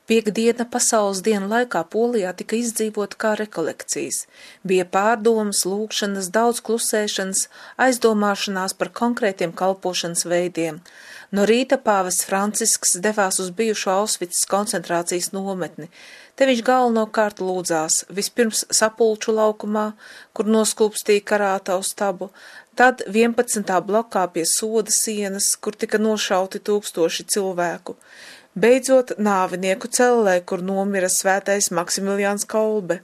Piektdiena pasaules dienu laikā Polijā tika izdzīvota kā rekolekcijas. Bija pārdomas, lūgšanas, daudz klusēšanas, aizdomāšanās par konkrētiem kalpošanas veidiem. No rīta pāvests Francisks devās uz bijušo Aušvicas koncentrācijas nometni. Te viņš galvenokārt lūdzās, vispirms Sapulču laukumā, kur noskūpstīja karātavu stabu, tad 11. blokā pie soda sienas, kur tika nošauti tūkstoši cilvēku. Beidzot nāvinieku cellē, kur nomira svētais Maksimiliāns Kolbe.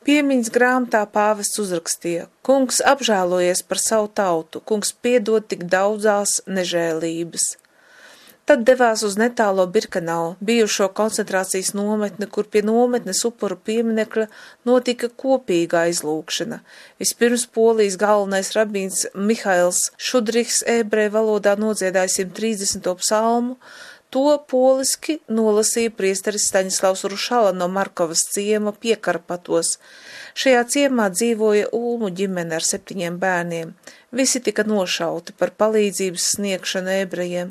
Piemiņas grāmatā pāvests uzrakstīja: Kungs apžēlojies par savu tautu, kungs piedod tik daudzās nežēlības. Tad devās uz netālo Birkenau, bijušo koncentrācijas nometni, kur pie nometnes upuru pieminekļa notika kopīga aizlūgšana. Vispirms Polijas galvenais rabīns Mihails Šudrichs ebreju valodā nodziedāja 130. psalmu. To poliski nolasīja priesteris Staņislavs Rušala no Markovas ciema Piekarpatos. Šajā ciemā dzīvoja Ulmu ģimene ar 7 bērniem. Visi tika nošauti par palīdzības sniegšanu ebrejiem.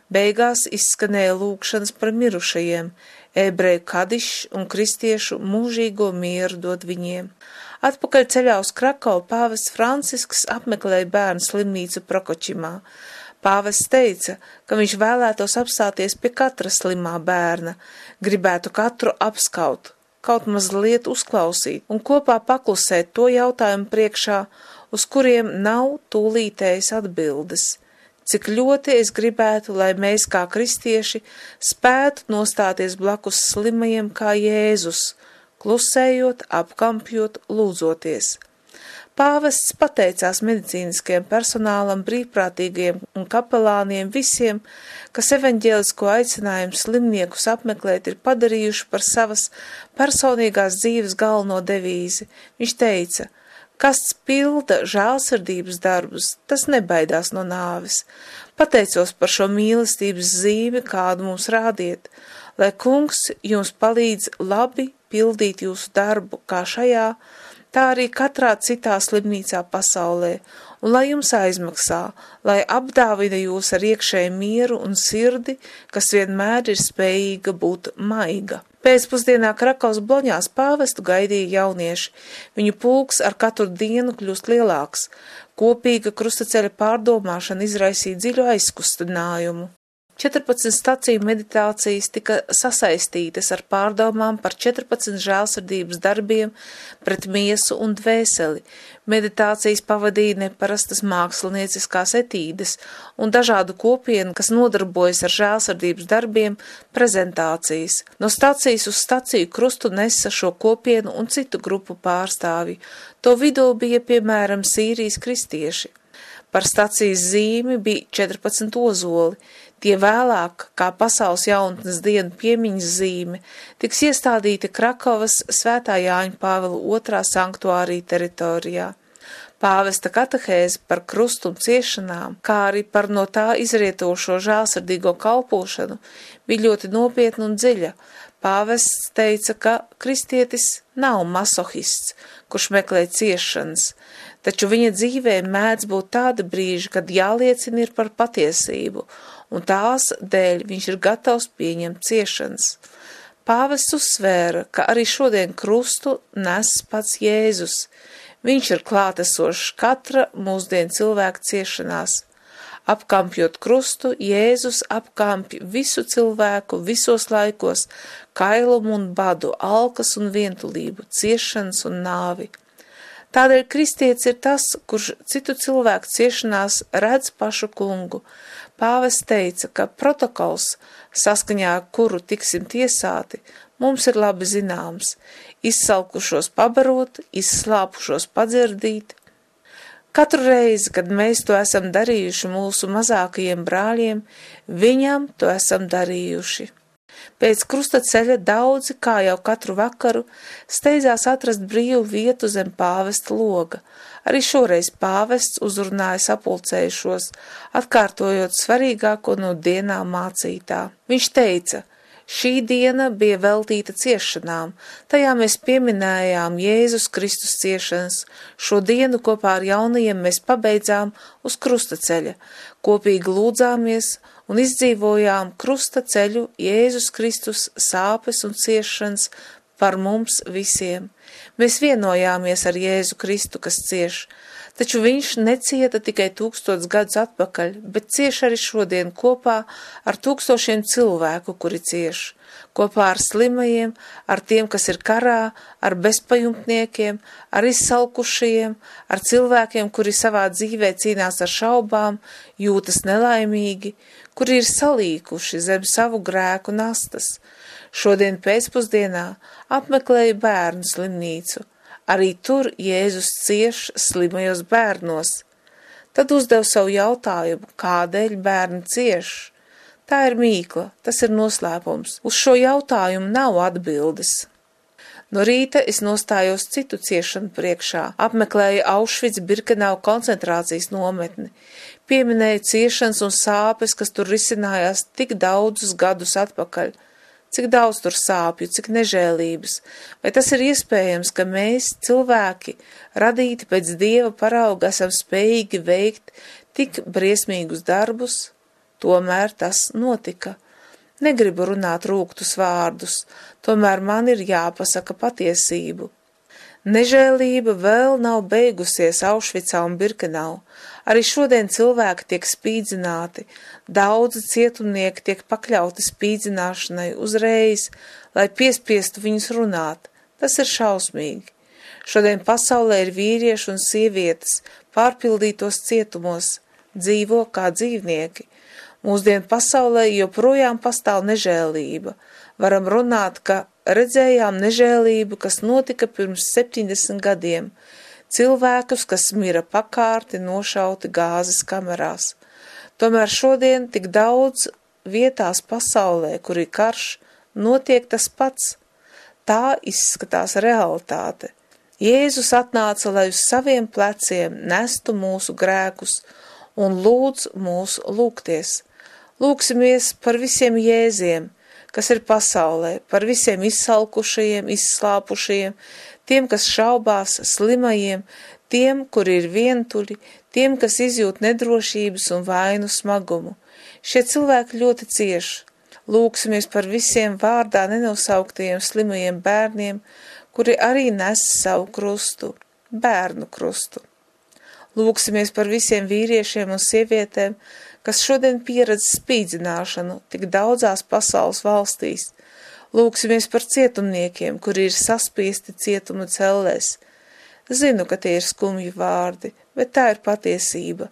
Beigās izskanēja lūgšanas par mirušajiem, ebreju kadišs un kristiešu mūžīgo mieru dod viņiem. Atpakaļ ceļā uz Krakavu pāvests Francisks apmeklēja bērnu slimnīcu Prokočimā. Pāvests teica, ka viņš vēlētos apstāties pie katra slimā bērna, gribētu katru apskaut, kaut mazliet uzklausīt un kopā paklusēt to jautājumu priekšā, uz kuriem nav tūlītējas atbildes. Cik ļoti es gribētu, lai mēs kā kristieši spētu nostāties blakus slimajiem kā Jēzus, klusējot, apkampjot, lūdzoties. Pāvests pateicās medicīniskajam personālam, brīvprātīgajiem un kapelāniem, visiem, kas evaņģēlisko aicinājumu slimniekus apmeklēt ir padarījuši par savas personīgās dzīves galveno devīzi. Viņš teica: kas pilda žēlsirdības darbus, tas nebaidās no nāves. Pateicos par šo mīlestības zīmi, kādu mums rādiet, lai kungs jums palīdz labi pildīt jūsu darbu, kā šajā, tā arī katrā citā slimnīcā pasaulē, un lai jums aizmaksā, lai apdāvina jūs ar iekšēju mieru un sirdi, kas vienmēr ir spējīga būt maiga. Pēcpusdienā Krakavas bloņās pāvestu gaidīja jaunieši. Viņu pulks ar katru dienu kļūst lielāks. Kopīga krustaceļa pārdomāšana izraisīja dziļu aizkustinājumu. 14 staciju meditācijas tika sasaistītas ar pārdomām par 14 žēlsirdības darbiem pret miesu un dvēseli. Meditācijas pavadīja neparastas mākslinieciskās etīdes un dažādu kopienu, kas nodarbojas ar žēlsirdības darbiem, prezentācijas. No stacijas uz staciju krustu nesa šo kopienu un citu grupu pārstāvji. To vidū bija, piemēram, Sīrijas kristieši. Par stacijas zīmi bija 14 ozoli. Tie vēlāk, kā pasaules jaunatnes dienu piemiņas zīme, tiks iestādīti Krakovas Svētā Jāņa Pāvila II sanktuārī teritorijā. Pāvesta katehēze par krustu un ciešanām, kā arī par no tā izrietošo žēlsirdīgo kalpošanu, bija ļoti nopietna un dziļa. Pāvests teica, ka kristietis nav masohists, kurš meklē ciešanas, taču viņa dzīvē mēdz būt tāda brīža, kad jāliecina ir par patiesību, un tās dēļ viņš ir gatavs pieņemt ciešanas. Pāvests uzsvēra, ka arī šodien krustu nes pats Jēzus. Viņš ir klātesošs katra mūsdienu cilvēka ciešanās. Apkampjot krustu, Jēzus apkampj visu cilvēku visos laikos, kailumu un badu, alkas un vientulību, ciešanas un nāvi. Tādēļ kristietis ir tas, kurš citu cilvēku ciešanās redz pašu kungu. Pāvests teica, ka protokols, saskaņā ar kuru tiksim tiesāti, mums ir labi zināms: izsalkušos pabarot, izslāpušos padzirdīt. Katru reizi, kad mēs to esam darījuši mūsu mazākajiem brāļiem, viņam to esam darījuši. Pēc krustaceļa daudzi, kā jau katru vakaru, steidzās atrast brīvu vietu zem pāvesta loga. Arī šoreiz pāvests uzrunāja sapulcējušos, atkārtojot svarīgāko no dienā mācītā. Viņš teica: šī diena bija veltīta ciešanām, tajā mēs pieminējām Jēzus Kristus ciešanas. Šo dienu kopā ar jaunajiem mēs pabeidzām uz krustaceļa, kopīgi lūdzāmies un izdzīvojām krusta ceļu Jēzus Kristus sāpes un ciešanas par mums visiem. Mēs vienojāmies ar Jēzu Kristu, kas cieš, taču viņš necieta tikai 1000 gadus atpakaļ, bet cieš arī šodien kopā ar tūkstošiem cilvēku, kuri cieš, kopā ar slimajiem, ar tiem, kas ir karā, ar bezpajumtniekiem, ar izsalkušajiem, ar cilvēkiem, kuri savā dzīvē cīnās ar šaubām, jūtas nelaimīgi, kuri ir salīkuši zem savu grēku nastas. Šodien pēcpusdienā apmeklēju bērnu slimnīcu. Arī tur Jēzus cieš slimajos bērnos. Tad uzdev savu jautājumu, kādēļ bērni cieš. Tā ir mīkla, tas ir noslēpums. Uz šo jautājumu nav atbildes. No rīta es nostājos citu ciešanu priekšā, apmeklēju Aušvic-Birkenau koncentrācijas nometni, pieminēju ciešanas un sāpes, kas tur risinājās tik daudzus gadus atpakaļ. Cik daudz tur sāpju, cik nežēlības, vai tas ir iespējams, ka mēs, cilvēki, radīti pēc Dieva parauga, esam spējīgi veikt tik briesmīgus darbus? Tomēr tas notika. Negribu runāt rūgtus vārdus, tomēr man ir jāpasaka patiesību. Nežēlība vēl nav beigusies Aušvicā un Birkenau. Arī šodien cilvēki tiek spīdzināti, daudzi cietumnieki tiek pakļauti spīdzināšanai uzreiz, lai piespiestu viņus runāt. Tas ir šausmīgi. Šodien pasaulē ir vīrieši un sievietes pārpildītos cietumos, dzīvo kā dzīvnieki. Mūsdienu pasaulē joprojām pastāv nežēlība. Varam runāt, ka redzējām nežēlību, kas notika pirms 70 gadiem. Cilvēkus, kas mira pakārti, nošauti gāzes kamerās. Tomēr šodien tik daudz vietās pasaulē, kur ir karš, notiek tas pats. Tā izskatās realitāte. Jēzus atnāca, lai uz saviem pleciem nestu mūsu grēkus un lūdz mūs lūgties. Lūksimies par visiem jēziem, kas ir pasaulē, par visiem izsalkušajiem, izslāpušajiem, tiem, kas šaubās, slimajiem, tiem, kuri ir vientuļi, tiem, kas izjūt nedrošības un vainu smagumu. Šie cilvēki ļoti cieši. Lūksimies par visiem vārdā nenosauktajiem slimajiem bērniem, kuri arī nes savu krustu, bērnu krustu. Lūksimies par visiem vīriešiem un sievietēm, kas šodien pieredz spīdzināšanu tik daudzās pasaules valstīs. Lūksimies par cietumniekiem, kuri ir saspiesti cietuma cellēs. Zinu, ka tie ir skumji vārdi, bet tā ir patiesība.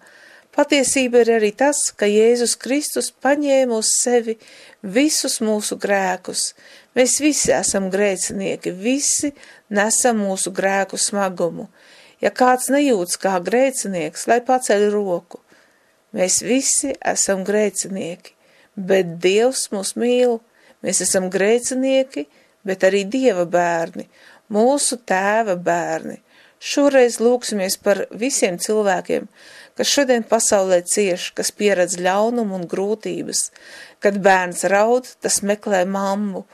Patiesība ir arī tas, ka Jēzus Kristus paņēma uz sevi visus mūsu grēkus. Mēs visi esam grēcinieki, visi nesam mūsu grēku smagumu. Ja kāds nejūtas kā grēcinieks, lai paceļ roku. Mēs visi esam grēcinieki, bet Dievs mūs mīl. Mēs esam grēcinieki, bet arī Dieva bērni, mūsu Tēva bērni. Šoreiz lūksimies par visiem cilvēkiem, kas šodien pasaulē cieš, kas pieredz ļaunumu un grūtības. Kad bērns raud, tas meklē mammu.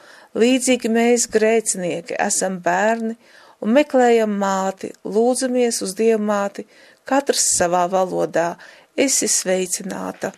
Līdzīgi mēs, grēcinieki, esam bērni un meklējam māti, lūdzamies uz Dievmāti, katrs savā valodā. Esi sveicināta!